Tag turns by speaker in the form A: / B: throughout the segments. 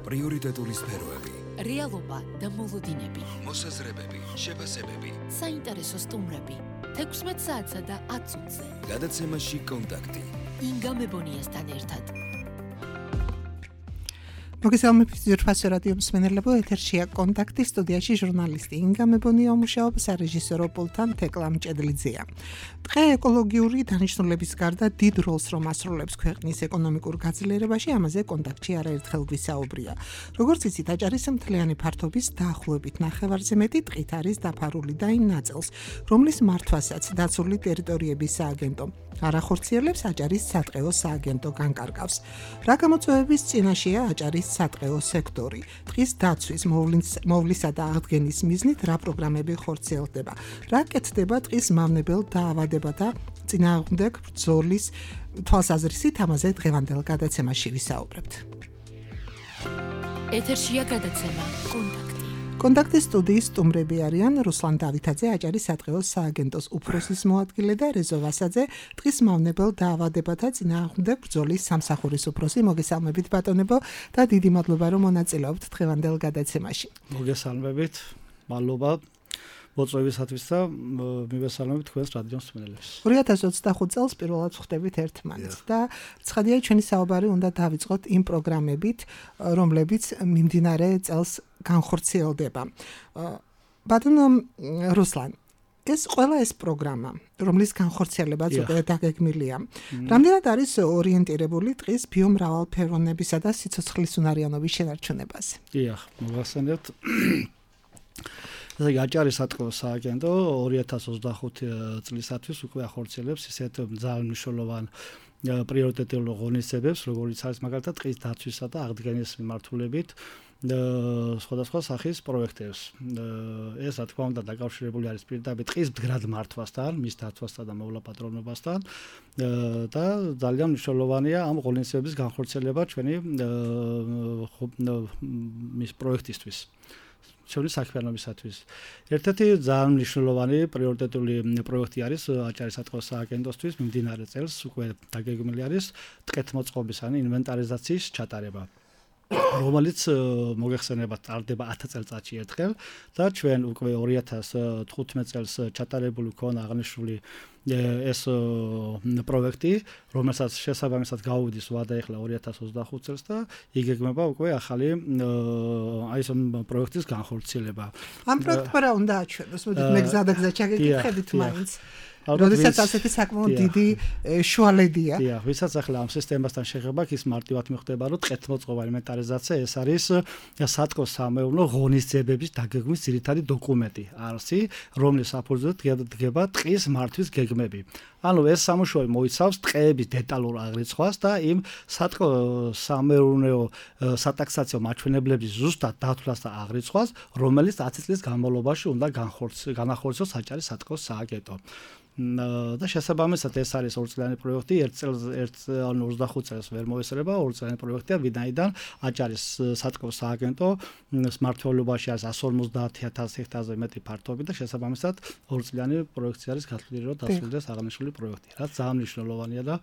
A: პრიორიტეტული სფეროები,
B: რეალობა და მოლოდინები,
A: მოსაზრებები, შეფასებები,
B: საინტერესო სტუმრები, 16 საათსა და 10 წუთზე.
A: გადაცემაში კონტაქტი.
B: ინგა მებონიასთან ერთად.
C: მოგესალმებით ძირფასო რადიო მსმენელებო, ეთერშია კონტაქტი, სტუდიაში ჟურნალისტი ინგა მებონია მუშაობს, სარეჟისორო პულტთან თეკლა მჭედლიძეა. დღე ეკოლოგიური დანიშნულების გარდა დიდ როლს რომ ასრულებს ქვეყნის ეკონომიკურ გაძლიერებაში, ამაზე კონტაქტში არაერთხელ გვისაუბრია. როგორც იცით, აჭარის მთლიანი ფართობის დაახლოებით ნახევარზე მეტი ტყით არის დაფარული და იმ ნაწილს, რომლის მართვასაც დაცული ტერიტორიების სააგენტო არ ახორციელებს, აჭარის სატყეო სააგენტო განკარგავს. რა გამოწვევების წინაშეა აჭარის სატყეო სექტორი? ტყის დაცვის, მოვლისა და აღდგენის მიზნით რა პროგრამები ხორციელდება? რა კეთდება ტყის მავნებელ დაავადებათა წინააღმდეგ ბრძოლის თვალსაზრისით? ამაზე დღევანდელ გადაცემაში ვისაუბრებთ.
B: ეთერშია გადაცემა კონტაქტი.
C: კონტაქტის სტუდიის სტუმრები არიან რუსლან დავითაძე, აჭარის სატყეო სააგენტოს უფროსის მოადგილე და რეზო ვასაძე, ტყის მავნებელ დაავადებათა წინააღმდეგ ბრძოლის სამსახურის უფროსი. მოგესალმებით ბატონებო და დიდი მადლობა რომ მონაწილეობთ დღევანდელ გადაცემაში.
D: მოგესალმებით, მადლობა მოწვევისათვის და მივესალმებით თქვენს რადიო მსმენელებს.
C: 2025 წელს პირველად ვხვდებით ერთმანეთს და ცხადია ჩვენი საუბარი უნდა დავიწყოთ იმ პროგრამებით, რომლებიც მიმდინარე წელს განხორციელდება. ბატონო რუსლან, ეს პროგრამა, რომლის განხორციელებაც უკვე დაგეგმილია, რამდენად არის ორიენტირებული ტყის ბიომრავალფეროვნებისა და სიცოცხლის უნარიანობის შენარჩუნებაზე?
D: დიახ, მოგახსენებთ. აჭარის სატყეო სააგენტო 2025 წლისათვის უკვე ახორციელებს ისეთ ძალიან მნიშვნელოვან პრიორიტეტულ ღონისძიებებს, როგორიც არის მაგალითად ტყის დაცვისა და აღდგენის მიმართულებით სხვადასხვა სახის პროექტებს. ეს რა თქმა უნდა დაკავშირებული არის პირდაპირ ტყის მდგრად მართვასთან, მის დაცვასთან და მოვლა-პატრონობასთან და ძალიან მნიშვნელოვანია ამ ღონისძიების განხორციელება ჩვენი მის პროექტისთვის. ჩვენი საქმიანობისათვის. ერთ-ერთი ძალიან მნიშვნელოვანი პრიორიტეტული პროექტი არის აჭარის სატყეო სააგენტოსთვის მიმდინარე წელს უკვე დაგეგმილი არის ტყეთმოწყობის ან ინვენტარიზაციის ჩატარება, რომელიც მოგეხსენებათ ტარდება 10 წელიწადში ერთხელ და ჩვენ უკვე 2015 წელს ჩატარებული ქონა აღნიშნული ეს პროექტი, რომელსაც შესაბამისად გავუდის ვადა ეხლა 2025 წელს და იგეგმება უკვე ახალი ეს პროექტის განხორციელება.
C: ამ პროექტმა რა უნდა აჩვენოს? მოდით მე გზადაგზა ჩაგეკითხებით მაინც. როდესაც ასეთი საკმაოდ დიდი შუალედია.
D: დიახ, ვისაც ახლა ამ სისტემასთან შეხება, ის მარტივად მიხვდება, რომ ტყეთმოწყობა ინვენტარიზაცია ეს არის სატყეო სამეურნეო ღონისძიებების დაგეგმვის ძირითადი დოკუმენტი, არსი, რომლის საფუძვლად დგება ტყის მართვის გეგმები. ანუ ეს სამუშაო მოიცავს ტყეების დეტალურ აღრიცხვას და იმ სატყეო სამეურნეო სატაქსაციო მაჩვენებლების ზუსტად დათვლას და აღრიცხვას, რომელიც 10 წლის განმავლობაში უნდა განახორციელოს აჭარის სატყეო სააგენტო. და შესაბამისად ეს არის ორწლიანი პროექტი, 25 წელს ვერ მოესწრება, ორწლიანი პროექტია, ვინაიდან აჭარის სატყეო სააგენტო მმართველობაში არის 150,000 ჰექტარზე მეტი ფართობი და შესაბამისად ორწლიანი პროექტი არის გათვლილი, რომ დასრულდეს აღნიშნული პროექტი. რაც ძალიან მნიშვნელოვანია და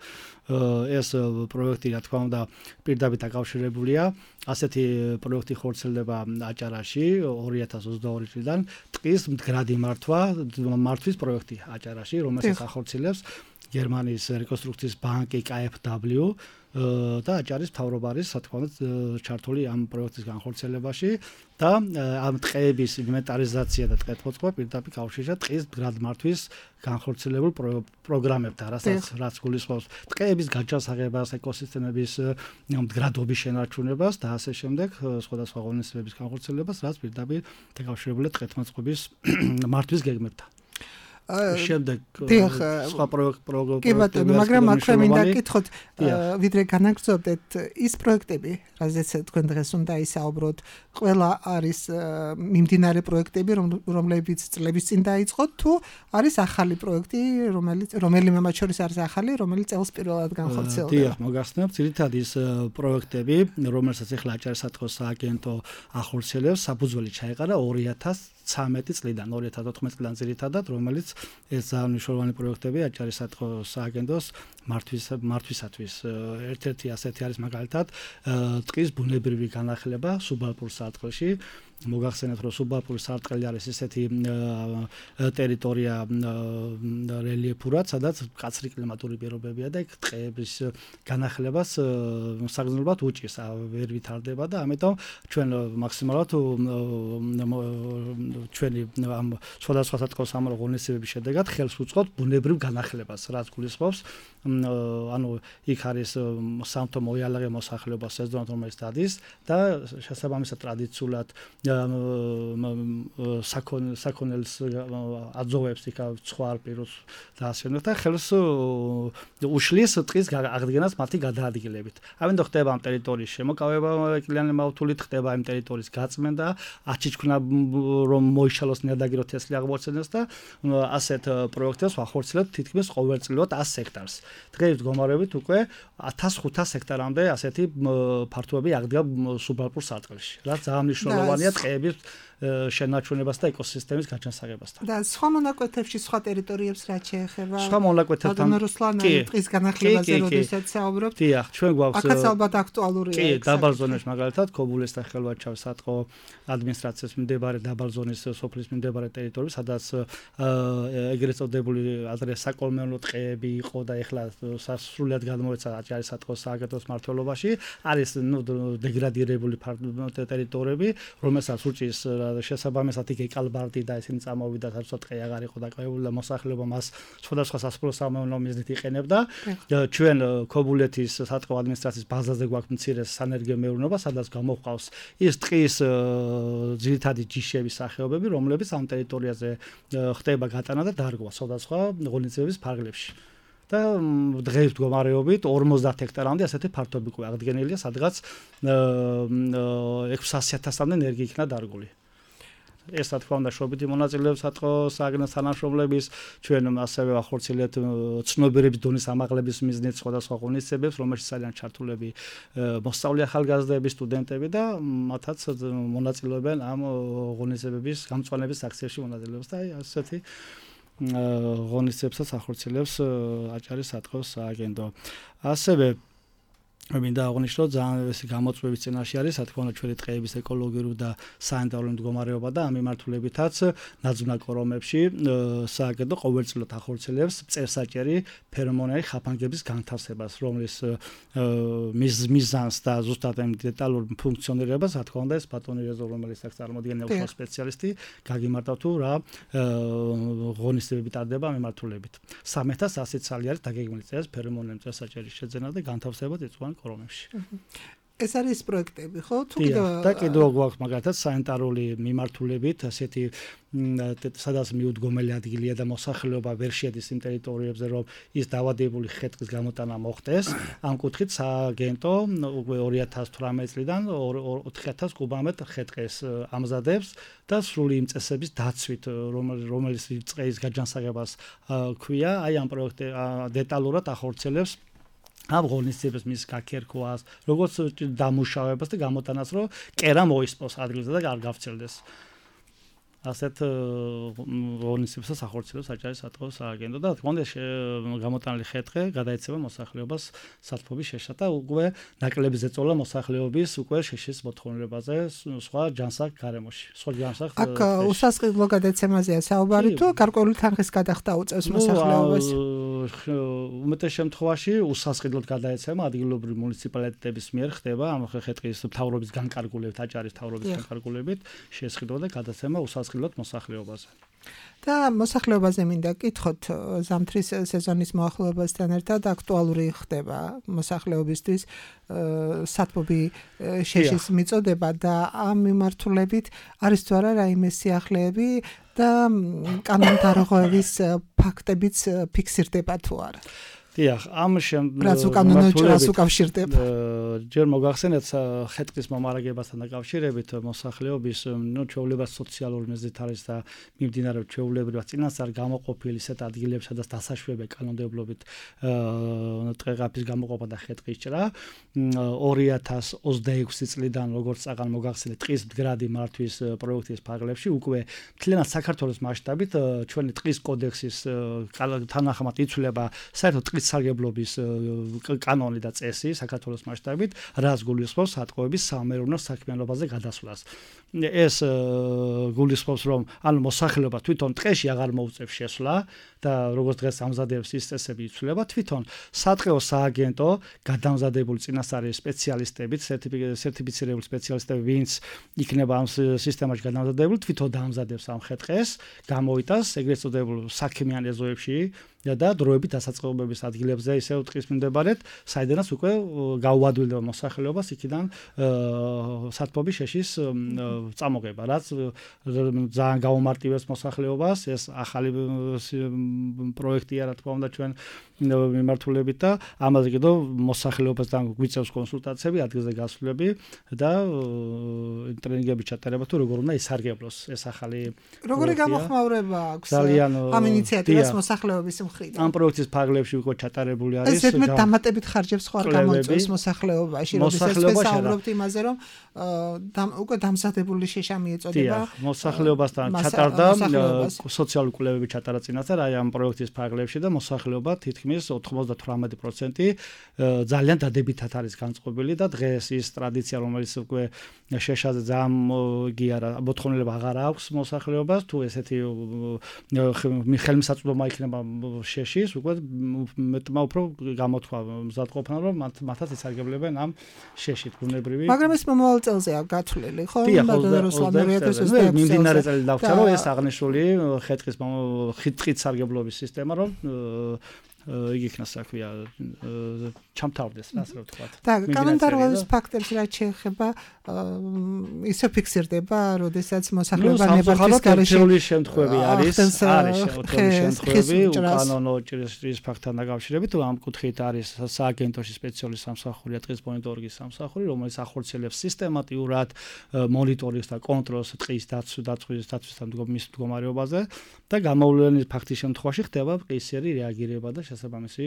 D: ეს პროექტი რა თქმა უნდა პირდაპირ დაკავშირებულია. ასეთი პროექტი ხორციელდება აჭარაში 2022 წლიდან ტყის მდგრადი მართვის პროექტი აჭარაში, რომელსაც ახორციელებს გერმანიის რეკონსტრუქციის ბანკი KfW და აჭარის მთავრობა არის რა თქმა უნდა ჩართული ამ პროექტის განხორციელებაში და ამ ტყეების ინვენტარიზაცია და ტყეთმოწყობა პირდაპირ კავშირია ტყის მდგრად მართვის განხორციელებულ პროგრამებთან, რაც გულისხმობს ტყეების გაჯანსაღებას, ეკოსისტემების მდგრადობის შენარჩუნებას და ასე შემდეგ სხვადასხვა ღონისძიებების განხორციელებას, რაც პირდაპირ დაკავშირებულია ტყეთმოწყობის მართვის გეგმებთან. შემდეგ სხვა პროგრამა.
C: კი ბატონო, მაგრამ აქვე მინდა გითხოთ, ვიდრე განაგრძობდეთ ის პროექტები, რაზეც თქვენ დღეს უნდა ისაუბროთ, ყველა არის მიმდინარე პროექტები, რომლებიც წლების წინ დაიწყოთ, თუ არის ახალი პროექტი, რომელიმე მათ შორის არის ახალი, რომელიც წელს პირველად განხორციელდება?
D: დიახ, მოგახსენებთ, ძირითადად ის პროექტები, რომელსაც ახლა აჭარის სატყეო სააგენტო ახორციელებს, საფუძველი ჩაეყარა 2013 წლიდან, 2014 წლიდან ძირითადად, რომელიც ეს ძალიან მნიშვნელოვანი პროექტები აჭარის-სატყო სააგენტოს მართვისათვის. ერთ-ერთი ასეთი არის მაგალითად ტყის ბუნებრივი განახლება სუბალპურ სარტყელში. მოგახსენეთ, რომ სუბალპური სარტყელი არის ესეთი ტერიტორია რელიეფურად, სადაც მკაცრი კლიმატური პირობებია და იქ ტყეების განახლებას საგრძნობლად უჭირს, ვერ ვითარდება და ამიტომ ჩვენ მაქსიმალურად ჩვენი ამ სხვადასხვა სათქო-სამარო ღონისძიებების შედეგად ხელს უწყობთ ბუნებრივ განახლებას, რაც გულისხმობს ანუ იქ არის სამთო მოიალაღე მოსახლეობა სეზონად რომელიც დადის და შესაბამისად ტრადიციულად საქონელს აძოვებს იქ ცხვარ პიროს და ასე და ხელს უშლის ტყის აღდგენას მათი გადაადგილებით. ამიტომ ხდება ამ ტერიტორიის შემოკავება ეკლიანი მავთულით, ხდება იმ ტერიტორიის გაწმენდა, აჩიჩქნა რომ მოიშალოს ნიადაგი რო თესლი აღმოჩნდეს და ასეთ პროექტებს ვახორციელებთ თითქმის ყოველწლიურად 100 ჰექტარს. დღეს მდგომარეობით უკვე 1500 ჰექტარამდე ასეთი ფართობები აღდგა სუბალპურ სარტყელში. რაც ძალიან მნიშვნელოვანია ტყეების შენარჩუნებას და ეკოსისტემის გაჩანსაღებასთან.
C: და სხვა მონაკვეთებში, სხვა ტერიტორიებს რაც შეეხება?
D: სხვა მონაკვეთებთან
C: ტყის განახლებაზე როდესაც საუბრობთ?
D: დიახ, ჩვენ გვაქვს
C: აქაც ალბათ აქტუალურია.
D: კი, დაბალ ზონებში მაგალითად ქობულეს და ხელვაჩავის სატყო ადმინისტრაციის მიმდებარე დაბალ ზონის სოფლის მიმდებარე ტერიტორიები, სადაც ეგრეთ წოდებული ადრე საკოლმეურნეო ტყეები იყო და ეხლა სასრულიად გადმოეცა აჭარის-სატყოს სააგენტოს მმართველობაში, არის დეგრადირებული ტერიტორიები, რომელსაც უჭირს შესაბამისად იქ ეკალბარდი და ისინი წამოვიდა თორსა ტყე აღარ იყო დაკავებული და მოსახლეობა მას სხვადასხვა სასოფლო-სამეურნეო მიზნით იყენებდა. ჩვენ ქობულეთის სატყო ადმინისტრაციის ბაზაზე გვაქვს მცირე სანერგე მეურნეობა, სადაც გამოჰყავს ის ტყის ძირითადი ჯიშების სახეობები, რომლებიც ამ ტერიტორიაზე ხდება გატანა და დარგვა სხვადასხვა ღონისძიების ფარგლებში. და დღეს მდგომარეობით 50 ჰექტარამდე ასეთი ფართობი უკვე აღდგენილია, სადღაც 600.000-მდე ენერგი იქნა დარგული. ეს რა თქმა უნდა შრობითი მონაწილეობის სატყო სააგენტოს თანამშრომლების, ჩვენ ასევე ვახორციელებთ ცნობიერების დონის ამაღლების მიზნით სხვადასხვა ღონისძიებებს, რომელშიც არიან ჩართულები მოსწავლე ახალგაზრდები, სტუდენტები და მათაც მონაწილეობენ ამ ღონისძიებების გამწვანების აქციებში მონაწილეობს და ასეთი ღონისძიებსაც ახორციელებს აჭარის-სატყოს სააგენტო. ასევე მინდა აღვნიშნო ძალიან ეს გამოწვევის წინაშე არის, რა თქმა უნდა, ჩვენი ტყეების ეკოლოგიური და სანიტარული მდგომარეობა და ამ მიმართულებითაც ნაძვნა კორომებში სააგენტო ყოველწლიურად ახორციელებს წერსაჭერი ფერომონული ხაფანგების განთავსებას, რომლის მიზანს და ზუსტად ამ დეტალურ ფუნქციონირებას, რა თქმა უნდა, ეს ბატონი რეზო, რომელიც აქ წარმოადგენია უშუალო სპეციალისტი, გაგიმართავ თუ რა ღონისძიებები ტარდება ამ მიმართულებით. 300 წელი არის დაგეგმილი წელს ფერომონული წერსაჭერის შეძენა და განთავსება წიწვოვან კორომებში.
C: ეს არის პროექტები, ხო? თუ
D: და კიდევ გვაქვს მაგალითად სანიტარული მიმართულებით, ასეთი სადაც მიუდგომელი ადგილია და მოსახლეობა ვერ შედის იმ ტერიტორიებზე, რომ ის დავადებული ხე-ტყის გამოტანა მოხდეს. ამ კუთხით სააგენტო 2018 წლიდან 4000 კუბომეტრ ხე-ტყეს ამზადებს და სრული იმ წესების დაცვით, რომელიც ტყეის გაჯანსაღებას ქვია, აი ამ პროექტი დეტალურად ახორციელებს ამ ღონისძიებას მის გაქერქვას, როგორც დამუშავებას და გამოტანას, რომ კერა მოისპოს ადგილზე და არ გავცელდეს. ასეთ ღონისძიებსაც ახორციელებს აჭარის-სატყოს სააგენტო და თქმა უნდა გამოტანილი ხე-ტყე გადაეცემა მოსახლეობას სათბობის შეშა და უკვე ნაკლები ზეწოლა მოსახლეობის უკვე შეშის მოთხოვნილებაზე სხვა ჯანსაღ გარემოში. სხვა ჯანსაღ
C: აქ უსასყიდლო გადაცემაზეა საუბარი თუ გარკვეული თანხის გადახდა უწევს მოსახლეობას?
D: უმეტეს შემთხვევაში უსასყიდლოდ გადაეცემა ადგილობრივი მუნიციპალიტეტების მიერ ხდება ამ ხე-ტყის მთავრობის განკარგულებით, აჭარის მთავრობის განკარგულებით შესყიდვა და გადაცემა უსასყიდლოდ მოსახლეობაზე.
C: და მოსახლეობაზე მინდა კითხოთ, ზამთრის სეზონის მოახლოებასთან ერთად აქტუალური ხდება მოსახლეობისთვის სათბობი შეშის მიწოდება და ამ მიმართულებით არის თუ არა რაიმე სიახლეები და კანონდარღვევის ფაქტებიც ფიქსირდება თუ არა?
D: დიახ, ამ
C: რაც უკანონო ჭრას უკავშირდება.
D: ჯერ მოგახსენეთ ხეთკის მომარაგებასთან დაკავშირებით მოსახლეობის ჩვეულება სოციალური მიზნით არის და მიმდინარეობს ჩვეულებრივად წინასწარ გამოყოფილი ისეთ ადგილებში, სადაც დასაშვებია კანონმდებლობით ტყეყაფის გამოყოფა და ხეთკის ჭრა 2026 წლიდან როგორც წაღან მოგახსენეთ ტყის მდგრადი მართვის პროექტის ფარგლებში უკვე მთლიანად საქართველოს მასშტაბით ჩვენი ტყის კოდექსის თანახმად იცვლება საერთოდ ტყის სარგებლობის კანონი და წესი საქართველოს მასშტაბით, რაც გულისხმობს სატყოების სამეურნეო საქმიანობაზე გადასვლას. ეს გულისხმობს, რომ ანუ მოსახლეობა თვითონ ტყეში აღარ მოუწევს შესვლა და როგორც დღეს ამზადებს ის წესები იცვლება, თვითონ სატყეო სააგენტო გადამზადებული წინასწარი სპეციალისტებით, სერტიფიცირებული სპეციალისტები, ვინც იქნება ამ სისტემაში გადამზადებული, თვითონ დაამზადებს ამ ხეთყეს, გამოიტანს ეგრეთ წოდებულ საქმიან ეზოებში და დროებით დასაწყობების ადგილებზე ისევ ტყის მიმდებარედ, საიდანაც უკვე გაუადვილდება მოსახლეობას იქიდან სათბობის შეშის წამოღება, რაც ძალიან გაუმარტივებს მოსახლეობას, ეს ახალი პროექტია, რა თქმა უნდა, ჩვენ მიმართულებით და ამაზე კიდევ მოსახლეობასთან გვიწევს კონსულტაციები, ადგილზე გასვლები და ტრენინგები ჩატარება თუ როგორ უნდა ისარგებლოს ეს ახალი
C: როგორი გამოხმაურება აქვს ამ ინიციატივას მოსახლეობის მხრიდან.
D: ამ პროექტის ფარგლებში უკვე ჩატარებული არის.
C: ეს ზედმეტ დამატებით ხარჯებს ხო არ გამოიწვევს მოსახლეობაში, როდესაც ვესაუბრობთ იმაზე, რომ უკვე დამზადებული შეშამი ეწოდება.
D: მოსახლეობასთან ჩატარდა სოციალური კვლევები ჩატარა წინასწარ აი ამ პროექტის ფარგლებში და მოსახლეობა თითქმის 98% ძალიან დადებითად არის განწყობილი და დღეს ის ტრადიცია, რომელიც უკვე შეშაზე ძალიან იგი არა, მოთხოვნილება აღარ აქვს მოსახლეობას, თუ ესეთი ხელმისაწვდომა იქნება შეშის, უკვე მეტმა უფრო გამოთქვა მზადყოფნა, რომ მათაც ისარგებლებენ ამ შეშით ბუნებრივი.
C: მაგრამ ეს მომავალ წელზეა გათვლილი, ხო?
D: მიმდინარე წელი დავწერო, რომ ეს აღნიშნული ხეთყის სარგებლობის სისტემა, რომ იგი იქნას საქმეა ჩამთავრდეს, ასე რომ ვთქვათ.
C: და კანონდარღვევის ფაქტებს რაც შეეხება ისე ფიქსირდება, როდესაც მოსახლეობა ნებართვის გარეშე
D: შემთხვევები არის შემთხვევები უკანონო ჭრის ფაქტთან დაკავშირებით, ამ კუთხით არის სააგენტოში სპეციალური სამსახური, ტყის მონიტორინგის სამსახური, რომელიც ახორციელებს სისტემატიურად მონიტორინგს და კონტროლს ტყის დაცვისთან მდგომარეობაზე და გამოვლენილი ფაქტის შემთხვევაში ხდება ყისერი რეაგირება და შესაბამისი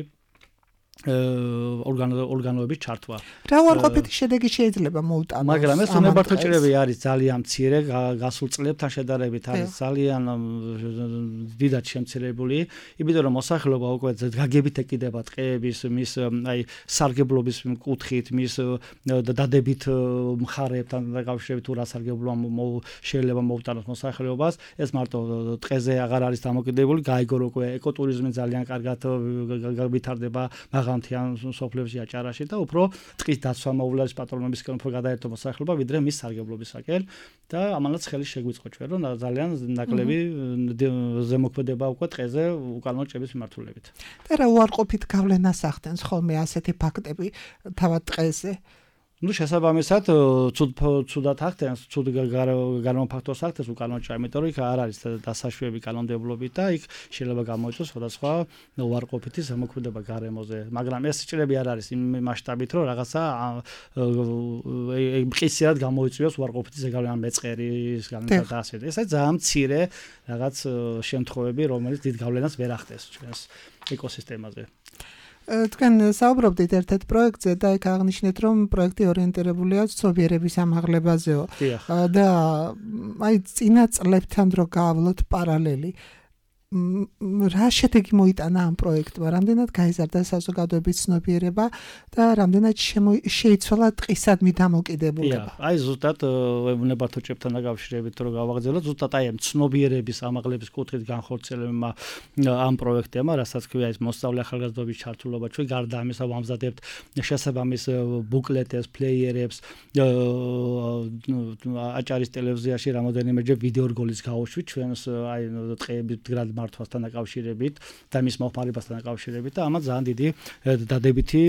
D: ორგანოების ჩართვა.
C: რა უარყოფითი შედეგი შეიძლება მოუტანოს?
D: მაგრამ ეს უნებართო ჭრები არის ძალიან მცირე, გასულ წლებთან შედარებით არის ძალიან დიდად შემცირებული, იმიტომ რომ მოსახლეობა უკვე გაგებით ეკიდება ტყეების, მის აი სარგებლობის კუთხით, მის დადებით მხარეებთან დაკავშირებით თუ რა სარგებლოა შეიძლება მოუტანოს მოსახლეობას, ეს მარტო ტყეზე აღარ არის დამოკიდებული, გაიგო უკვე ეკოტურიზმი ძალიან კარგად ვითარდება მაღალმთიან სოფლებში აჭარაში და უფრო ტყის დაცვა მოვლენის პატრონებისკენ უფრო გადაერთო მოსახლეობა ვიდრე მის სარგებლობისაკენ და ამანაც ხელი შეგვიწყო ჩვენ რომ ძალიან ნაკლები ზემოქმედება უკვე ტყეზე უკანონო ჭრების მიმართულებით.
C: და რა უარყოფით გავლენას ახდენს ხოლმე ასეთი ფაქტები თავად ტყეზე?
D: შესაბამისად ცუდად ახდენს, ცუდ განმოფაქტოს ახდენს უკანონო ჭრა, იმიტომ რომ იქ არ არის დასაშვები კანონმდებლობით და იქ შეიძლება გამოიწვიოს სხვადასხვა უარყოფითი ზემოქმედება გარემოზე, მაგრამ ეს ჭრები არ არის იმ მასშტაბით, რომ რაღაცა მყისიერად გამოიწვიოს უარყოფითი ზეგავლენა მეწყერის განმეორება და ასე. ეს ძალიან მცირე რაღაც შემთხვევები, რომელიც დიდ გავლენას ვერ ახდენს ჩვენს ეკოსისტემაზე.
C: თქვენ საუბრობდით ერთ-ერთ პროექტზე და იქ აღნიშნეთ, რომ პროექტი ორიენტირებულია ცნობიერების ამაღლებაზეო და აი წინა წლებთან რო გავავლოთ პარალელი რა შედეგი მოიტანა ამ პროექტმა, რამდენად გაიზარდა საზოგადოების ცნობიერება და რამდენად შეიცვალა ტყისადმი დამოკიდებულება.
D: აი ზუსტად უნებართო ჭრებთან დაკავშირებით რო გავაგრძელოთ, ზუსტად აი ამ ცნობიერების ამაღლების კუთხით განხორციელებმა ამ პროექტებმა, რასაც ქვია ის მოსწავლე ახალგაზრდობის ჩართულობა, ჩვენ გარდა ამისა ვამზადებთ შესაბამის ბუკლეტებს, ფლეიერებს, აჭარის ტელევიზიაში რამოდენიმეჯერ ვიდეო რგოლის გაუშვით ჩვენს აი ტყეების მდგრად მართვასთან დაკავშირებით და მის მოხმარებასთან დაკავშირებით და ამას ძალიან დიდი დადებითი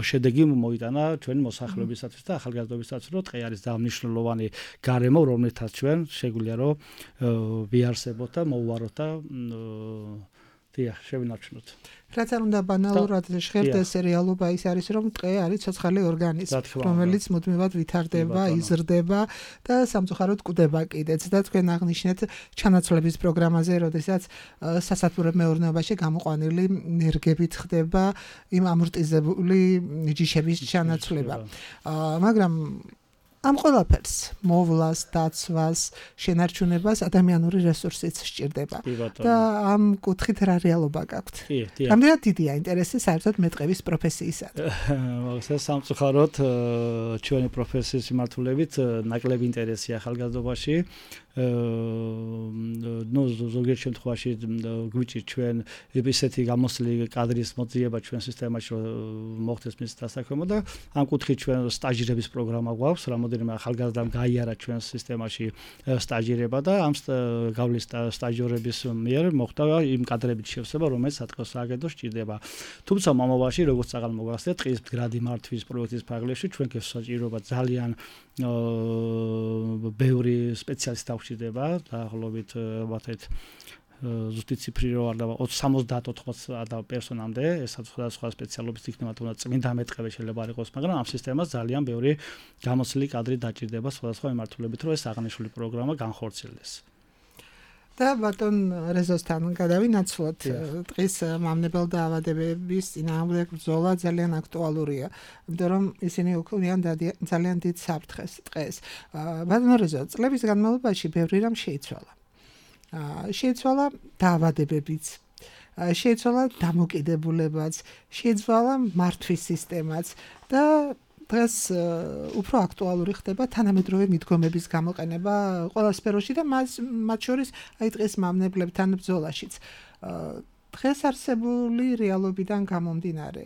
D: შედეგი მოიტანა ჩვენი მოსახლეობისათვის და ახალგაზრდობისათვის, რომ ტყე არის ძალიან მნიშვნელოვანი გარემო, რომლითაც ჩვენ შეგვიძლია რომ ვიარსებოთ და მოვუაროთ და დიახ, შევინარჩუნოთ.
C: რაც არ უნდა ბანალურად ჟღერდეს რეალობა ის არის, რომ ტყე არის ცოცხალი ორგანიზმი, რომელიც მუდმივად ვითარდება, იზრდება და სამწუხაროდ კვდება კიდეც და თქვენ აღნიშნეთ ჩანაცვლების პროგრამაზე, როდესაც სასათბურე მეურნეობაში გამოყვანილი ენერგებით ხდება იმ ამორტიზებული ჯიშების ჩანაცვლება. მაგრამ ამ ყველაფერს მოვლას, დაცვას, შენარჩუნებას ადამიანური რესურსიც სჭირდება. და ამ კუთხით რა რეალობა გაქვთ? რამდენად დიდია ინტერესი საერთოდ მეტყევის პროფესიისადმი?
D: სამწუხაროდ ჩვენი პროფესიის მიმართულებით ნაკლები ინტერესია ახალგაზრდობაში. ზოგიერთ შემთხვევაში გვიჭირთ ჩვენ ისეთი გამოსლი კადრის მოძიება ჩვენ სისტემაში მოხდეს მის დასაქმება და ამ კუთხით ჩვენ სტაჟირების პროგრამა გვაქვს, რამოდენიმე ახალგაზრდამ გაიარა ჩვენ სისტემაში სტაჟირება და ამ გავლის სტაჟიორების მიერ მოხდა იმ კადრებით შევსება, რომელიც საწყოს სააგენტოს სჭირდება. თუმცა მომავალში, როგორც აღარ მოგახსენეთ, ტყის მდგრადი მართვის პროექტის ფარგლებში ჩვენ გვესაჭიროება ძალიან ბევრი სპეციალისტი გვჭირდება, დაახლოებით ვთქვათ ზუსტი ციფრი რო არ და 70-80 პერსონამდე, ესაც სხვადასხვა სპეციალობის იქნება, თუნდაც წმინდა მეტყევე შეიძლება არ იყოს, მაგრამ ამ სისტემას ძალიან ბევრი გამოსლი კადრი დაჭირდება სხვადასხვა მიმართულებით, რომ ეს აღნიშნული პროგრამა განხორციელდეს.
C: და ბატონ რეზოსთან გადავინაცვლოთ ტყის მამნებელ დაავადებების წინააღმდეგ ბრძოლა ძალიან აქტუალურია, იმიტომ რომ ისინი უქმნიან ძალიან დიდ საფრთხეს ტყეს. ბატონ რეზო, წლების განმავლობაში ბევრი რამ შეიცვალა. შეიცვალა დაავადებებიც, შეიცვალა დამოკიდებულებაც, შეიცვალა მართვის სისტემაც და დღეს უფრო აქტუალური ხდება თანამედროვე მიდგომების გამოყენება ყველა სფეროში და მათ შორის აი ტყის მამნებლებთან ბრძოლაშიც. დღეს არსებული რეალობიდან გამომდინარე,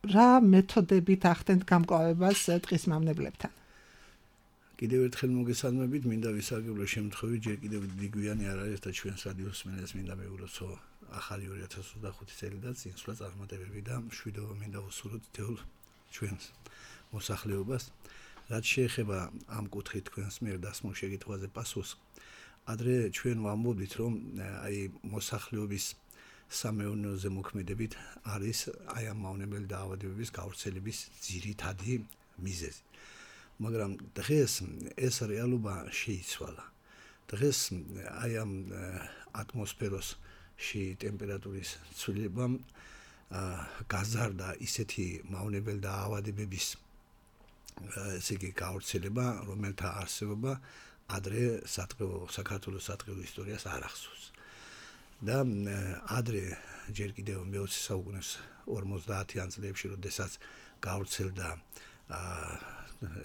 C: რა მეთოდებით ახდენთ გამკლავებას ტყის მამნებლებთან?
E: კიდევ ერთხელ მოგესალმებით, მინდა ვისარგებლო შემთხვევით, ჯერ კიდევ დიგვიანი არ არის და ჩვენს რადიოს მსმენელს მინდა მევულოცო ახალი 2025 წელი და წინსვლა წარმატებები და მშვიდობა მინდა ვუსურვოთ თეულ ჩვენს მოსახლეობას. რაც შეეხება ამ კუთხით თქვენს მიერ დასმულ შეკითხვაზე პასუხს, ადრე ჩვენ ვამბობდით, რომ აი მოსახლეობის სამეურნეოზე მოქმედებით არის აი ამ მავნებელი დაავადებების გავრცელების ძირითადი მიზეზი. მაგრამ დღეს ეს რეალობა შეიცვალა. დღეს აი ამ ატმოსფეროში ტემპერატურის ცვლილებამ გაზარდა ისეთი მავნებელი დაავადებების ესე იგი გავრცელება, რომელთა არსებობა ადრე საქართველოს სატყეო ისტორიას არ ახსოვს. და ადრე ჯერ კიდევ მე-20 საუკუნის 50-იან წლებში, როდესაც გავრცელდა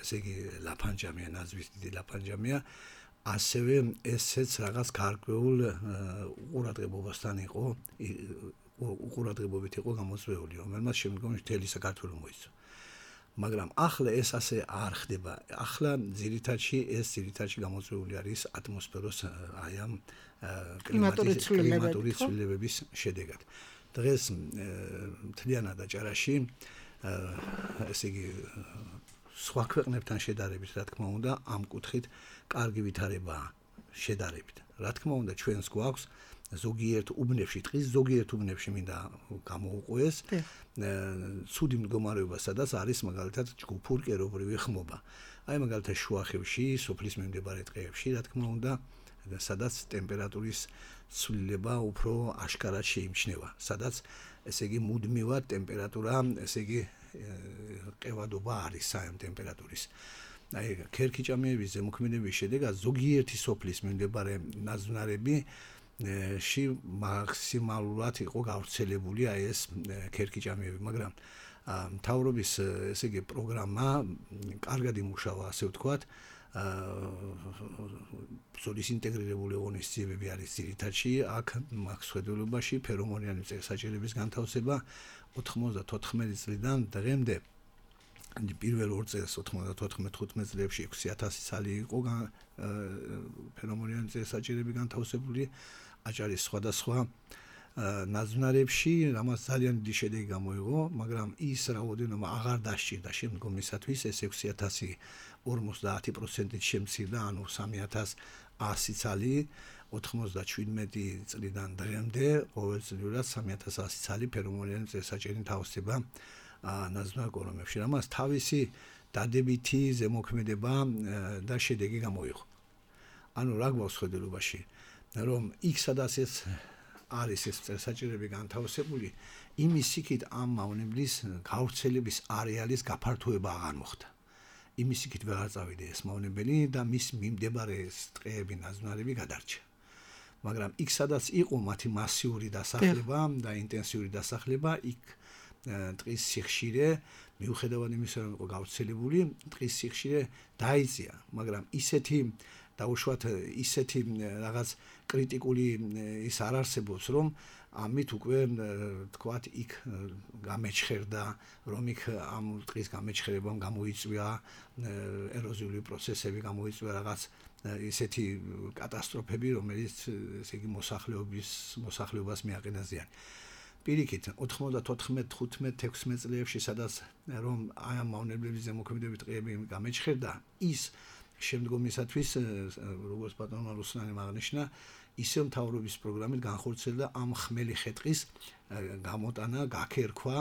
E: ესე იგი ლაფანჯამია, ნაზვის დიდი ლაფანჯამია, ასევე ესეც რაღაც გარკვეულ უყურადღებობასთან იყო, უყურადღებობით იყო გამოწვეული, რომელმაც შემდგომში მთელი საქართველო მოიცვა. მაგრამ ახლა ეს ასე არ ხდება. ახლა ძირითადში გამოწვეული არის ატმოსფეროს აი ამ კლიმატური ცვლილებების შედეგად. დღეს მთლიანად აჭარაში ესე იგი სხვა ქვეყნებთან შედარებით, რა თქმა უნდა, ამ კუთხით კარგი ვითარებაა შედარებით. რა თქმა უნდა, ჩვენს გვაქვს ზოგიერთ უბნებში, ტყის ზოგიერთ უბნებში მინდა გამოუყვეს ცუდი მდგომარეობა, სადაც არის მაგალითად ჯგუფურ კერობრივი ხმობა. აი მაგალითად შუახევში, სოფლის მიმდებარე ტყეებში, რა თქმა უნდა, სადაც ტემპერატურის ცვლილება უფრო აშკარად შეიმჩნევა, სადაც ესე იგი მუდმივად ტემპერატურა, ესე იგი ყევადობა არის საერთო ტემპერატურის. აი ქერქიჭამიების ზემოქმედების შედეგად ზოგიერთი სოფლის მიმდებარე ნაძვნარები ში მაქსიმალურად იყო გავრცელებული აი ეს ქერქიჭამიები, მაგრამ მთავრობის ესე იგი პროგრამა კარგად იმუშავა, ასე ვთქვათ, ბრძოლის ინტეგრირებული ღონისძიებები არის ძირითადში, აქ მაქსვედულობაში ფერომონიანი წესაჭერების განთავსება 94 წლიდან დღემდე პირველ 2 წელს 94-15 წლებში 6000 ცალი იყო ფერომონიანი წესაჭერები განთავსებული აჭარის სხვადასხვა ნაძვნარებში, რამაც ძალიან დიდი შედეგი გამოიღო, მაგრამ ის რაოდენობა აღარ დასჭირდა შემდგომისათვის, ეს 6000 50%-ით შემცირდა, ანუ 3100 ცალი 97 წლიდან დღემდე ყოველწლიურად 3100 ცალი ფერომონიანი წესაჭერი თავსდება ნაზვნარ კორომებში. რამაც თავისი დადებითი ზემოქმედება და შედეგი გამოიღო. ანუ რა გვაქვს ხედულობაში, რომ იქ სადაც ეს არის ეს წესაჭერები განთავსებული, იმის იქით ამ მავნებლის გავრცელების არეალის გაფართოება აღარ მოხდა. იმის იქით ვეღარ წავიდა ეს მავნებელი და მის მიმდებარე ტყეები ნაზვნარები გადარჩა. მაგრამ იქ სადაც იყო მათი მასიური დასახლება და ინტენსიური დასახლება, იქ ტყის სიხშირე მიუხედავად იმისა, რომ იყო გავრცელებული, ტყის სიხშირე დაიწია, მაგრამ ისეთი დაუშვათ ისეთი რაღაც კრიტიკული ის არ არსებობს, რომ ამით უკვე თქვათ იქ გამეჩხერდა, რომ იქ ამ ტყის გამეჩხერებამ გამოიწვია ეროზიული პროცესები, გამოიწვია რაღაც ისეთი კატასტროფები, რომელიც ესე იგი მოსახლეობას მიაყენა ზიანი. პირიქით 94-15-16 წლებში სადაც რომ აი ამ მავნებლების ზემოქმედებით ტყეები გამეჩხერდა, ის შემდგომისათვის როგორც ბატონმა რუსლანემ აღნიშნა, ისევ მთავრობის პროგრამით განხორციელდა ამ ხმელი ხეტყის გამოტანა, გაქერქვა,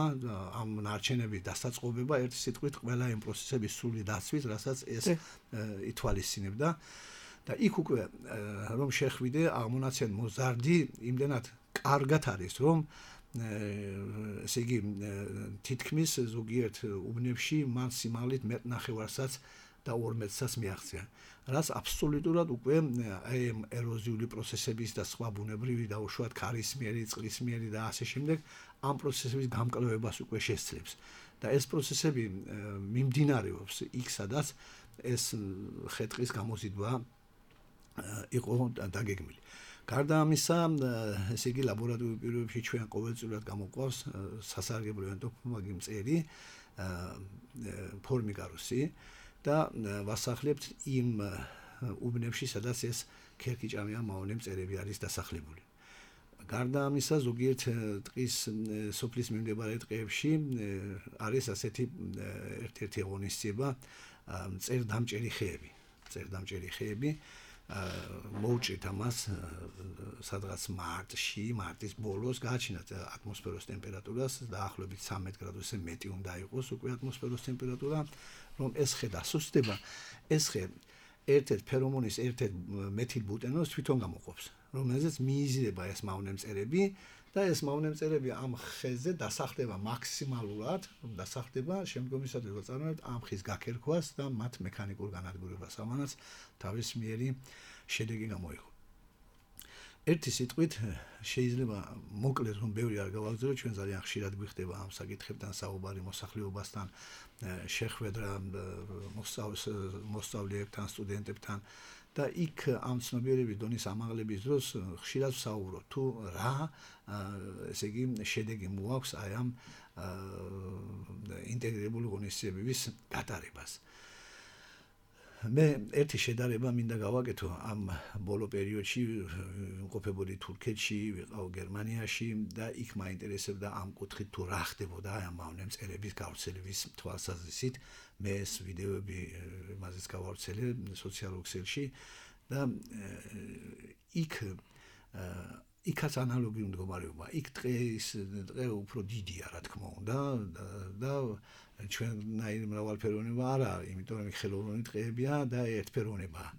E: ამ ნარჩენების დასაწყობება, ერთი სიტყვით ყველა იმ პროცესების სრული დაცვით, რასაც ეს ითვალისწინებდა და იქ უკვე რომ შეხვიდე აღმონაცენ მოზარდი იმდენად კარგად არის, რომ ესე იგი თითქმის ზოგიერთ უბნებში მან სიმაღლით მეტნახევარსაც და 12-საც მიაღწია. რაც აბსოლუტურად უკვე აი ეროზიული პროცესების და სხვა ბუნებრივი და უშუალოდ ქარისმიერი, წყლისმიერი და ასე შემდეგ ამ პროცესების გამკლევებას უკვე შესძლებს. და ეს პროცესები მიმდინარეობს იქ, სადაც ეს ხეტყის გამოზიდვა იყო დაგეგმილი. გარდა ამისა, ესე იგი ლაბორატორიულ პირობებში ჩვენ ყოველწლიურად გამოყვავს სასარგებლო ენტოფაგი მწერი ფორმიკარუსი და ვასახლებთ იმ უბნებში, სადაც ეს ქერქიჭამია მავნე მწერები არის დასახლებული. გარდა ამისა, ზოგიერთ ტყის სოფლის მიმდებარე ტყეებში არის ასეთი ერთ-ერთი ღონისძიება მწერდამჭერი ხეები. მოუჭრით ამას სადღაც მარტის ბოლოს გააჩინათ ატმოსფეროს ტემპერატურას დაახლოებით 13 გრადუსზე მეტი უნდა იყოს უკვე ატმოსფეროს ტემპერატურა, რომ ეს ხე დასუსტდება, ეს ხე ერთ-ერთ ფერომონის ერთ-ერთ მეთილ ბუტენოლს თვითონ გამოყოფს, რომელზეც მიიზრდება ეს მავნე მწერები და ეს მავნე მწერები ამ ხეზე დასახლდება მაქსიმალურად, დასახლდება შემდგომისათვის ვაწარმოებთ ამ ხის გაქერქვას და მათ მექანიკურ განადგურებას, ამანაც თავისმიერი შედეგი გამოიღო. ერთი სიტყვით შეიძლება მოკლედ რომ ბევრი არ გავაგზავნო, ჩვენ ძალიან ხშირად გვიხდება ამ საკითხებთან საუბარი მოსახლეობასთან, შეხვედრა მოსწავლეებთან, სტუდენტებთან და იქ ამ ცნობიერების დონის ამაღლების დროს ხშირად ვსაუბრობ თუ რა ესე იგი შედეგი მოაქვს აი ამ ინტეგრირებული ღონისძიებების გატარებას. მე ერთი შედარება მინდა გავაკეთო ამ ბოლო პერიოდში ვიმყოფებოდი თურქეთში, ვიყავ გერმანიაში და იქ მაინტერესებდა ამ კუთხით თუ რა ხდებოდა ამ მავნე მწერების გავრცელების თვალსაზრისით. მე ეს ვიდეოები მაზეც გავავრცელე სოციალურ ქსელში და იქაც ანალოგიური მდგომარეობა. იქ დღე უფრო დიდია, რა თქმა უნდა და ჩვენნაირი მრავალფეროვნება არა, იმიტომ რომ ხელოვნური ტყეებია და ერთფეროვნებაა.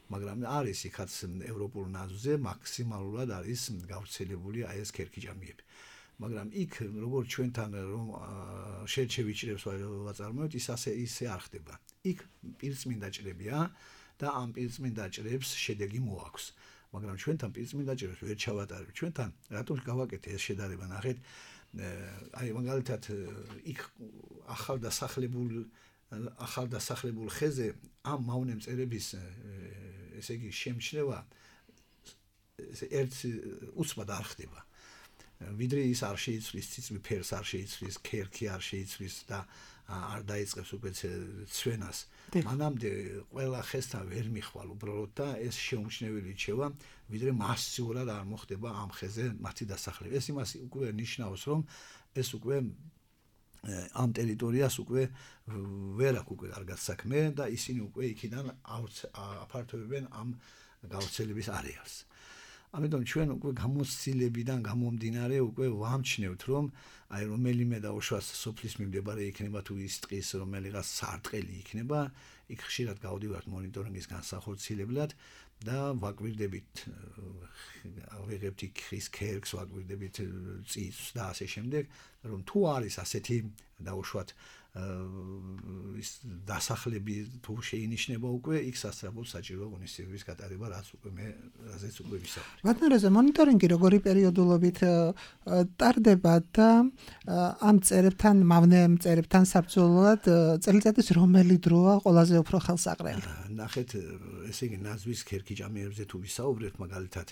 E: მაგრამ არის იქაც ევროპულ ნაზვზე მაქსიმალურად არის გავრცელებული აი ეს ქერქიჭამიები. მაგრამ იქ როგორც ჩვენთან რომ შევიჭრებს ვაწარმოებთ, ისე არ ხდება. იქ პირწმინდა ჭრებია და ამ პირწმინდა ჭრებს შედეგი მოაქვს. მაგრამ ჩვენთან პირწმინდა ჭრებს ვერ ჩავატარებ. ჩვენთან რატომ გავაკეთე ეს შედარება, ნახეთ, აი მაგალითად იქ ახალ დასახლებულ ხეზე ამ მავნე მწერების ესე იგი შემჩნევა ერთ უცბად არ ხდება. ვიდრე ის არ შეიცვლის ციცვი ფერს, არ შეიცვლის ქერქი, არ შეიცვლის და არ დაიწყებს უკვე ცვენას. მანამდე ყველა ხესთან ვერ მიხვალ უბრალოდ და ეს შეუმჩნეველი რჩევა, ვიდრე მასიურად არ მოხდება ამ ხეზე მათი დასახლება. ეს იმას უკვე ნიშნავს, რომ ეს უკვე ამ ტერიტორიას უკვე ვერ აქვს უკვე კარგად საქმე და ისინი უკვე იქიდან აფართოვებენ ამ გავრცელების არეალს. ამიტომ ჩვენ უკვე გამოცდილებიდან გამომდინარე უკვე ვამჩნევთ რომ აი რომელიმე და უშუალოდ სოფლის მიმდებარე იქნება თუ ის ტყის რომელიღაც სარტყელი იქნება იქ ხშირად გავდივართ მონიტორინგის განსახორციელებლად და ვაკვირდებით ავიღებთ იქ ხის ქერქს ვაკვირდებით წიწს და ასე შემდეგ რომ თუ არის ასეთი დაუშვათ ის დასახლები თუ შეინიშნება უკვე იქ სასწრაფოდ საჭირო ღონისძიებების გატარება რაც უკვე მე რაზეც უკვე ვისაუბრე.
C: ბატონო მონიტორინგი როგორი პერიოდულობით ტარდება და ამ წერებთან მავნე წერებთან საბრძოლოდ წელიწადის რომელი დროა ყველაზე უფრო ხელსაყრელი?
E: ნახეთ ესე იგი ნაზვის ქერქიჭამიერებზე თუ ვისაუბრებთ მაგალითად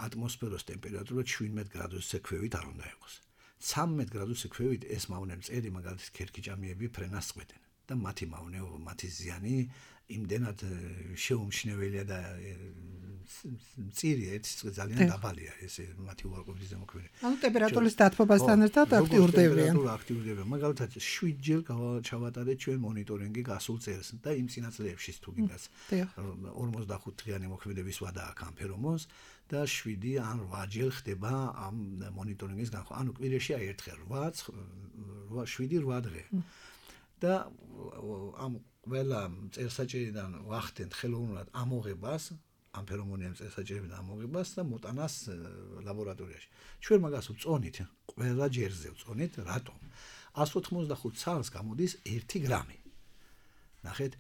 E: ატმოსფეროს ტემპერატურა 17 გრადუსზე ქვევით არ უნდა იყოს. 13 გრადუსზე ქვევით ეს მავნე მწერი მაგალითად ქერქიჭამიები ფრენას წყვეტენ და მათი მავნეობა, მათი ზიანი იმდენად შეუმჩნეველია და მწირია ეს ძალიან დაბალია ეს მათი უარყოფითი ზემოქმედება.
C: ანუ ტემპერატურის დათბობასთან ერთად აქტიურდებიან.
E: აქტიურდებიან. მაგალითად 7 ჯერ ჩავატარეთ ჩვენ მონიტორინგი გასულ წელს და იმ წინაწლებში თუ გინდას 45 დღიანი მოქმედების ვადა აქვს ამ ფერომონს და 7 ან 8 ჯერ ხდება ამ მონიტორინგის განხორციელება. ანუ კვირაში აი ერთხელ 7-8 დღე. და ამ ყველა წელსაჭერიდან ვახდენთ ხელოვნურად ამოღებას, ამ ფერომონიან წელსაჭერიდან ამოღებას და მოტანას ლაბორატორიაში. ჩვენ მაგას ვწონით, ყველა ჯერზე ვწონით, რატომ? 185 ცალს გამოდის 1 გრამი. ნახეთ,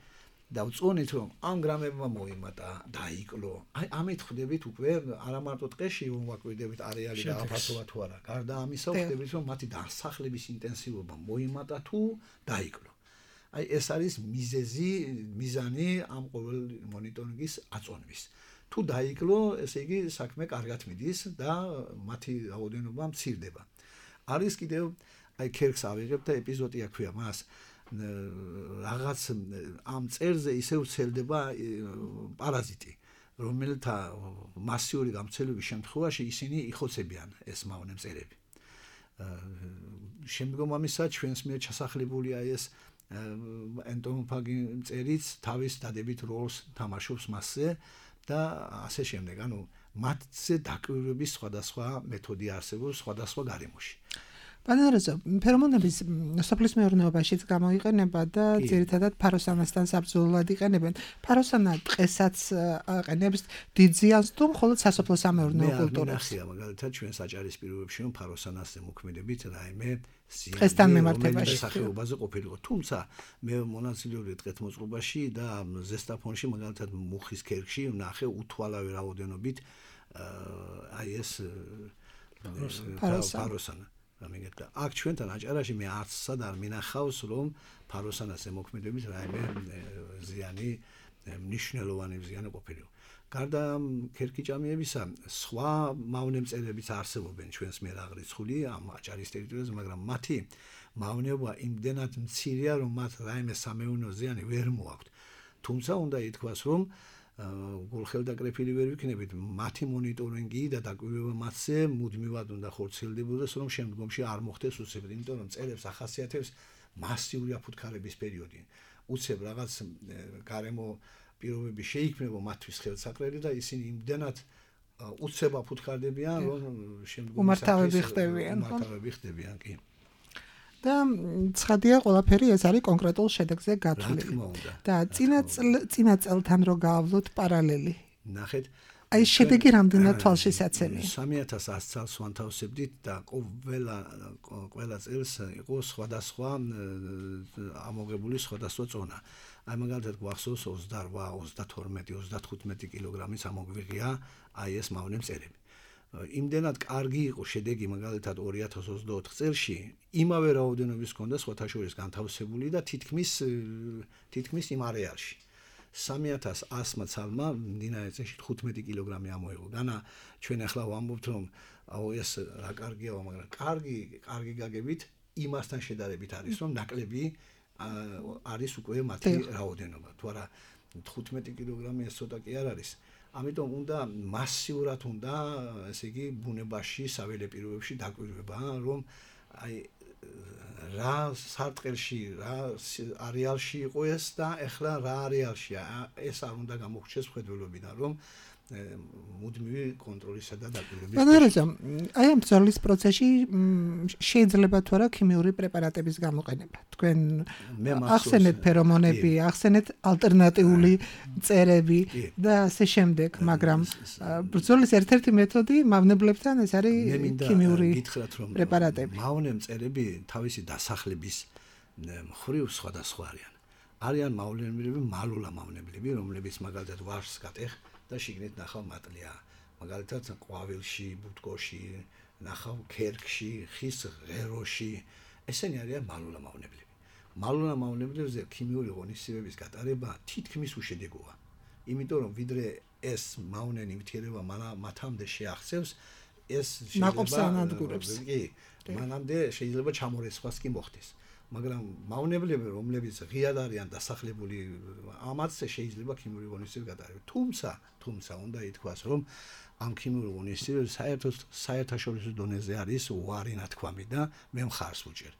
E: და ვწონით რომ ამ გრამებმა მოიმატა, დაიკლო. აი ამით ხვდებით უკვე არა მარტო ტყეში ვაკვირდებით არეალი და აფასოვა თუ არა. გარდა ამისა ხვდებით რომ მათი დასახლების ინტენსივობა მოიმატა თუ დაიკლო. აი ეს არის მიზანი ამ ყოველ მონიტორინგის აწონვის. თუ დაიკლო, ესე იგი საქმე კარგად მიდის და მათი რაოდენობა მცირდება. არის კიდევ აი ქერქს ავიღებ და ეპიზოდი აქვია მას რაღაც ამ წერზე ისევ ვრცელდება პარაზიტი, რომელთა მასიური გამცელების შემთხვევაში ისინი იხოცებიან ეს მავნე მწერები. შემდგომ ამისა ჩვენს მიერ ჩასახლებულია ეს ენტომოფაგი მწერიც თავის დადებით როლს თამაშობს მასზე და ასე შემდეგ. ანუ მათზე დაკვირვების სხვადასხვა მეთოდი არსებობს სხვადასხვა გარემოში.
C: ბანარაზო, ფერომონების სოფლის მეურნეობაშიც გამოიყენება და ძირითადად ფაროსანასთან საბრძოლოდ იყენებენ. ფაროსანა ტყესაც აყენებს დიდ ზიანს თუ მხოლოდ სასოფლო სამეურნეო კულტურებს?
E: მე მაგალითად ჩვენ საჭარის პირობებში რომ ფაროსანასზე მოქმედებით რაიმე
C: ტყესთან მიმართებაში
E: სახეობაზე ყოფილიყო. თუმცა მე მონაწილეობდი ტყეთმოწყობაში და ზესტაფონში მაგალითად მუხის ქერქში ვნახე უთვალავი რაოდენობით აი ეს ფაროსანა. ამიგეთა აქ ჩვენთან აჭარაში მე არცსად არ მინახავს რომ ფაროსანასზე მოქმედებით რაიმე ზიანი მნიშვნელოვანი ზიანი ყოფილიყო. გარდა ქერქიჭამიებისა სხვა მავნე მწერებიც არსებობენ ჩვენს მიერ აღრიცხული ამ აჭარის ტერიტორიაზე, მაგრამ მათი მავნეობა იმდენად მცირეა რომ მათ რაიმე სამეურნეო ზიანი ვერ მოაქვთ. თუმცა უნდა ითქვას რომ გულხელდაკრეფილი ვერ ვიქნებით, მათი მონიტორინგი და დაკვირვება მათზე მუდმივად უნდა ხორციელდებოდეს, რომ შემდგომში არ მოხდეს უცებ, იმიტომ რომ მწერებს ახასიათებს მასიური აფუთხარების პერიოდი. უცებ რაღაც გარემო პირობები შეიქმნება მათთვის ხელსაყრელი და ისინი იმდენად უცებ აფუთხარდებიან, რომ შემდგომში
C: უმართავები ხდებიან, კი. და ცხადია ყველაფერი ეს არის კონკრეტულ შედეგზე გათვლილი. და წინა წელთან რო გავავლოთ პარალელი.
E: ნახეთ,
C: აი შედეგი რამდენად თვალშისაცემია?
E: 3100 წელს ვანთავსებდით და ყველა წელს იყო სხვადასხვა ამოღებული სხვადასხვა წონა. აი მაგალითად გვახსოვს 28, 32, 35 კილოგრამის ამოგვიღია აი ეს მავნე მწერები. იმდენად კარგი იყო შედეგი მაგალითად 2024 წელში, იმავე რაოდენობის ჰქონდა სხვათა შორის განთავსებული და თითქმის იმ არეალში. 3100 ცალმა მდინარე წელში 15 კილოგრამი ამოიღო. განა ჩვენ ახლა ვამბობთ რომ ეს რა კარგია, მაგრამ კარგი გაგებით იმასთან შედარებით არის რომ ნაკლები არის უკვე მათი რაოდენობა. თუ არა 15 კილოგრამი ეს ცოტა კი არ არის. ამიტომ უნდა მასიურად უნდა, ესე იგი, ბუნებაში, საველე პირობებში დაკვირვება, რომ აი რა სარტყელში, რა არეალში იყო ეს და ეხლა რა არეალშია. ეს არ უნდა გამოგვჩეს მხედველობიდან, რომ მუდმივი კონტროლისა და დაკვირვების.
C: ბანარაზა, აი ამ ბრძოლის პროცესში შეიძლება თუ არა ქიმიური პრეპარატების გამოყენება. თქვენ ახსენეთ ფერომონები, ახსენეთ ალტერნატიული მწერები და ასე შემდეგ, მაგრამ ბრძოლის ერთ-ერთი მეთოდი მავნებლებთან ეს არის ქიმიური პრეპარატები.
E: მავნე მწერები თავისი დასახლების მხრივ სხვადასხვა არიან. არიან მავნებლები, მალულა მავნებლები, რომლებიც მაგალითად ვარს გატეხ და შიგნით ნახავ მატლია. მაგალითად ყვავილში, ბუტკოში, ნახავ ქერქში, ხის ღეროში. ესენი არიან მალულა მავნებლები. მალულა მავნებლებზე ქიმიური ღონისძიებების გატარება თითქმის უშედეგოა. იმიტომ რომ ვიდრე ეს მავნე ნივთიერება მათამდე შეახცევს, ეს
C: ნაყოფსანადგურებს.
E: კი, მანამდე შეიძლება ჩამორეცხვას კი მოხდეს. მაგრამ მავნებლები, რომლებიც ღიად არიან დასახლებული, ამაც შეიძლება ქიმიური ღონისძიება გატარება. თუმცა უნდა ითქვას, რომ ამ ქიმიური ღონისძიებები საერთაშორისო დონეზე არის უარი ნათქვამი და მე მხარს ვუჭერ,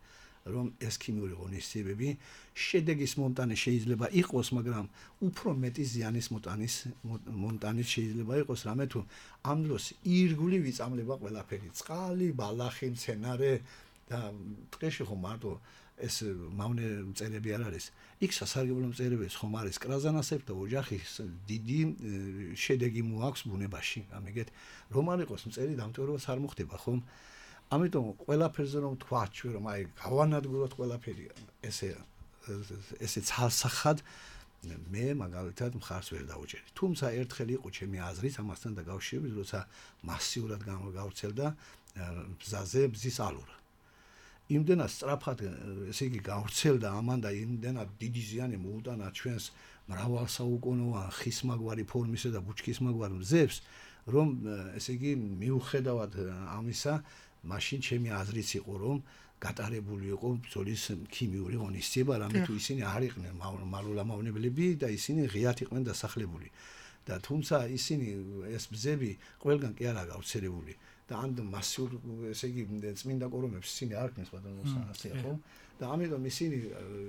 E: რომ ეს ქიმიური ღონისძიებები შედეგის მონტანი შეიძლება იყოს, მაგრამ უფრო მეტი ზიანის მონტანის შეიძლება იყოს, რამე თუ ამ დროს ირგვლივ იწამლება ყველაფერი, წყალი, ბალახი, მცენარე და ტყეში ხომ მარტო ეს მავნე მწერები არ არის. იქ სასარგებლო მწერებიც ხომ არის კრაზანასებ და ოჯახის დიდი შედეგი მოაქვს ბუნებაში. ამიგეთ, რომ არ იყოს მწერი დამტვერვაც არ მოხდება, ხომ? ამიტომ ყველაფერზე რომ თქვა ჩვენ რომ აი გავანადგუროთ ყველაფერი ესე ცალსახად მე მაგალითად მხარს ვერ დავუჭერდი. თუმცა ერთხელ იყო ჩემი აზრით ამასთან დაკავშირებით, როცა მასიურად გავრცელდა ბზაზე ბზის ალურა. იმდენად სწრაფად ესე იგი გავრცელდა ამან და იმდენად დიდი ზიანი მოუტანა ჩვენს მრავალსაუკუნოვან ხისმაგვარი ფორმისა და ბუჩქისმაგვარ მზებს, რომ ესე იგი მიუხედავად ამისა, მაშინ ჩემი აზრიც იყო, რომ გატარებული იყო ბრძოლის ქიმიური ღონისძიება, რამე თუ ისინი არ იყვნენ მალულა მავნებლები და ისინი ღიად იყვნენ დასახლებული. და თუმცა ისინი ეს ბზები ყველგან კი არა გავრცელებული. და ამ მასიურ ესე იგი წმინდა კორომებს ისინი არ ქნეს ბატონოს ასე ხო და ამიტომ ისინი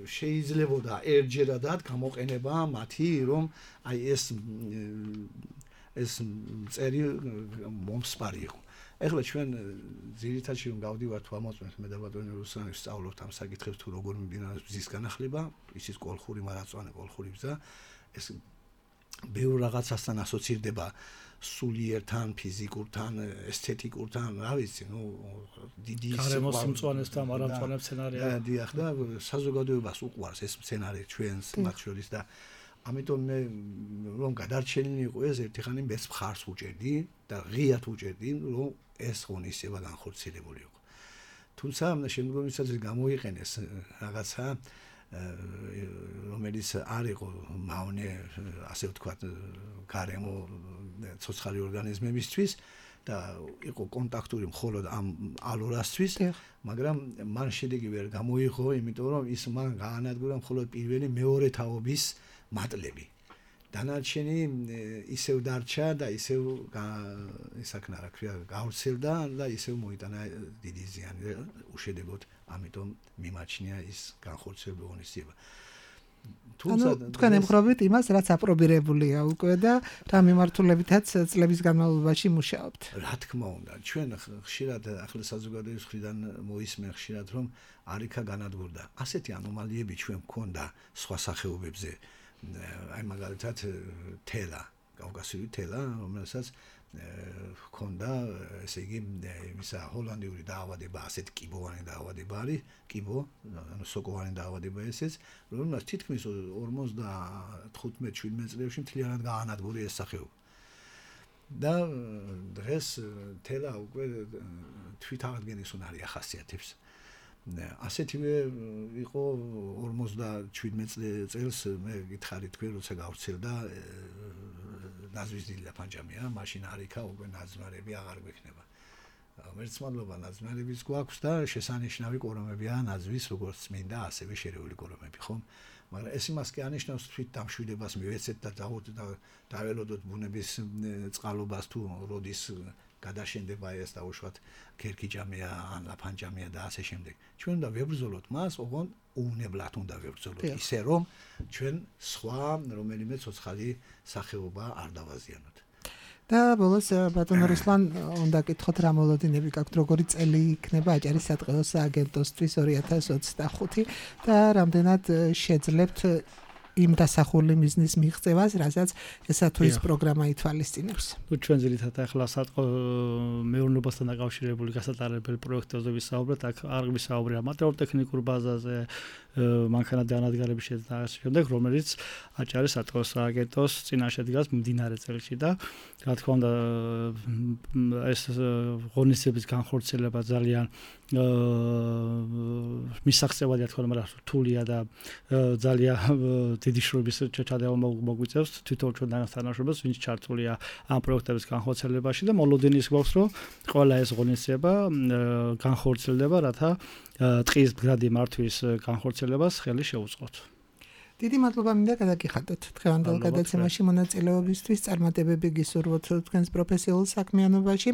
E: შეიძლებოდა ერთჯერადად გამოყენება მათი რომ აი ეს წერი მომსპარი იყო. ეხლა ჩვენ ძირითადად რომ გავდივართ თუ ამოწმეთ მე და ბატონი რუსლანი ვსწავლობთ ამ საკითხებს თუ როგორ მიმდინარეობს ბზის განახლება, ისიც კოლხური მარაწვანე კოლხური ბზა ეს ბევრ რაღაცასთან ასოცირდება სულიერთან, ფიზიკურთან, ესთეტიკურთან, რა ვიცი, დიდი
D: გარემოს სიმწვანესთან, მარამწვანე მცენარეა.
E: დიახ და საზოგადოებას უყვარს ეს მცენარე ჩვენს მათ შორის და ამიტომ მე რომ გადარჩენილი იყო ეს ერთხანი მეც მხარს ვუჭერდი და ღიად ვუჭერდი, რომ ეს ღონისძიება განხორციელებული იყო. თუმცა შემდგომისას გამოიყენეს რაღაცა რომელიც არ იყო მავნე, ასე ვთქვათ, გარემო ცოცხალი ორგანიზმებისთვის და იყო კონტაქტური მხოლოდ ამ ალურასთვის, მაგრამ მან შედეგი ვერ გამოიღო, იმიტომ რომ ის მან გაანადგურა მხოლოდ პირველი მეორე თაობის მატლები. დანარჩენი ისევ დარჩა და ისევ ისაქნა რა ქვია, გავრცელდა და ისევ მოიტანა დიდი ზიანი უშედეგოდ. ამიტომ მიმაჩნია ის განხორციელებული ღონისძიება.
C: თუმცა თქვენ ემხრობთ იმას, რაც აპრობირებულია უკვე და რა მიმართულებითაც წლების განმავლობაში მუშაობთ.
E: რა თქმა უნდა, ჩვენ ხშირად ახლა საზოგადოების მხრიდან მოისმენ ხშირად, რომ არიქა განადგურდა. ასეთი ანომალიები ჩვენ მქონდა სხვა სახეობებზე. აი მაგალითად თელა, კავკასიური თელა, რომელსაც ჰქონდა ესე იგი იმისა ჰოლანდიური დაავადება, ასეთ კიბოვანი დაავადება არის, კიბო, ანუ სოკოვანი დაავადება ესეც, რომელსაც თითქმის 55-17 წლებში მთლიანად გაანადგურა ეს სახეობა. და დღეს თელა უკვე თვითაღდგენის უნარი ახასიათებს. ასეთივე იყო 57 წელს მე გითხარით თქვენ როცა გავრცელდა ნაზვის დიდი ლაფანჯამია, მაშინ არიქა უკვე ნაზნარები აღარ გვექნება. მერცმადლობა ნაზნარების გვაქვს და შესანიშნავი კორომებია ნაზვის როგორც წმინდა, ასევე შერეული კორომები, ხომ? მაგრამ ეს იმას კი ანიშნავს თვით დამშვიდებას მივეცეთ და დაველოდოთ ბუნების წყალობას თუ როდის გადაშენდება ეს დაუშვათ ქერქიჯამია ან ლაფანჯამია და ასე შემდეგ. ჩვენ უნდა ვებრძოლოთ მას, ოღონდ უვნებლად უნდა ვებრძოლოთ, ისე რომ ჩვენ სხვა რომელიმე ცოცხალი სახეობა არ დავაზიანოთ.
C: და ბოლოს ბატონო რუსლან უნდა გითხოთ რა მოლოდინები გაქვთ როგორი წელი იქნება აჭარის სატყეო სააგენტოსთვის 2025 და რამდენად შეძლებთ იმ დასახული მიზნის მიღწევას, რასაც ესა თუ ის პროგრამა ითვალისწინებს.
D: ჩვენ ძირითადად ახლა სატყეო მეურნეობასთან დაკავშირებული გასატარებელი პროექტებზე ვისაუბრეთ, აქ არ ვისაუბრია მატერიალურ-ტექნიკურ ბაზაზე, მანქანათი ანადგარების შემდეგ, რომელიც აჭარის სატყეო სააგენტოს წინაშე დგას მდინარე წელში და რა თქმა უნდა ეს ღონისძიების განხორციელება ძალიან მისაღწევადია თქო, მაგრამ რთულია და ძალიან დიდი შრომის ჩადება მოგვიწევს თვითონ ჩვენთან თანამშრომლებს, ვინც ჩართულია ამ პროექტების განხორციელებაში და მოლოდინი ის გვაქვს, რომ ყველა ეს ღონისძიება განხორციელდება, რათა ტყის მდგრადი მართვის განხორციელებას ხელი შეუწყოთ.
C: დიდი მადლობა მინდა გადაგიხადოთ დღევანდელ გადაცემაში მონაწილეობისთვის, წარმატებები გისურვოთ თქვენს პროფესიულ საქმიანობაში.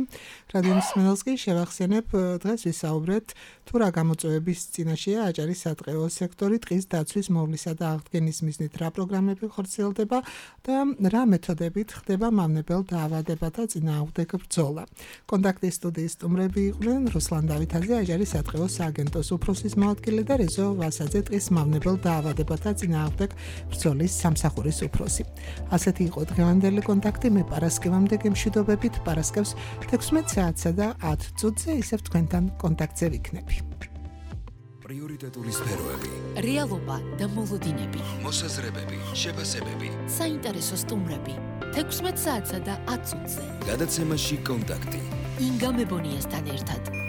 C: რადიო მსმენელს კი შევახსენებ, დღეს ვისაუბრეთ თუ რა გამოწვევების წინაშეა აჭარის სატყეო სექტორი ტყის დაცვის მოვლისა და აღდგენის მიზნით რა პროგრამები ხორციელდება და რა მეთოდებით ხდება მავნებელ დაავადებათა წინააღმდეგ ბრძოლა. კონტაქტის სტუდიის სტუმრები იყვნენ რუსლან დავითაძე, აჭარის სატყეო სააგენტოს უფროსის მოადგილე და რეზო ვასაძე, ტყის მავნებელ დაავადებათა წინააღმდეგ ბრძოლის სამსახურის უფროსი. ასეთი იყო დღევანდელი კონტაქტი. მე პარასკევამდე გემშვიდობებით, პარასკევს 16 საათსა და 10 წუთზე ისევ თქვენთან კონტაქტზე ვიქნები.
A: პრიორიტეტული სფეროები,
B: რეალობა და მოლოდინები,
A: მოსაზრებები, შეფასებები,
B: საინტერესო სტუმრები 16 საათსა და 10 წუთზე.
A: გადაცემაში კონტაქტი.
B: ინგა მებონიასთან ერთად.